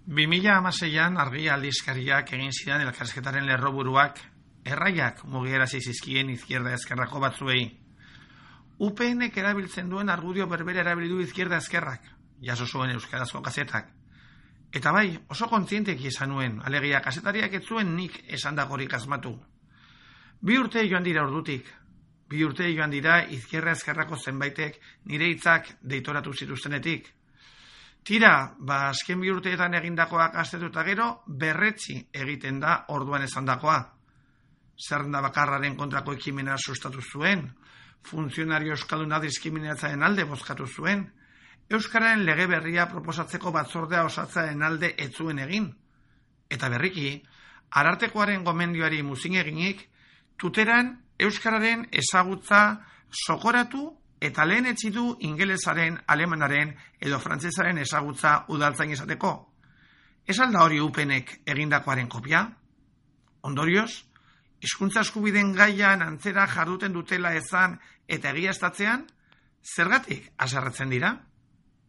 2016an Argia aldizkariak egin zidan elkarrizketaren lerroburuak erraiak mugiarazi zizkien izquierda ezkerrako batzuei. UPNek erabiltzen duen argudio berbera erabili du izquierda ezkerrak, jaso zuen euskarazko kazetak. Eta bai, oso kontzienteki esan nuen, alegia kazetariak ez zuen nik esandakorik asmatu. 2 urte joan dira ordutik. 2 urte joan dira izquierda ezkerrako zenbaitek nire hitzak deitoratu zituztenetik. Tira, azken 2 urteetan egindakoak aztertuta gero, berretsi egiten da orduan esandakoa. Zerrenda bakarraren kontrako ekimena sustatu zuen, funtzionario euskalduna diskriminatzaren alde bozkatu zuen, euskararen lege berria proposatzeko batzordea osatzearen alde ez zuen egin. Eta berriki, Arartekoaren gomendioari muzin eginik, tuteran euskararen ezagutza sokoratu eta lehen etzi du ingelesaren, alemanaren edo frantsesaren ezagutza udaltzain izateko. Ez alda hori UPNek egindakoaren kopia? Ondorioz, hizkuntza eskubideen gaian antzera jarduten dutela ezan eta egiaztatzean, zergatik haserretzen dira?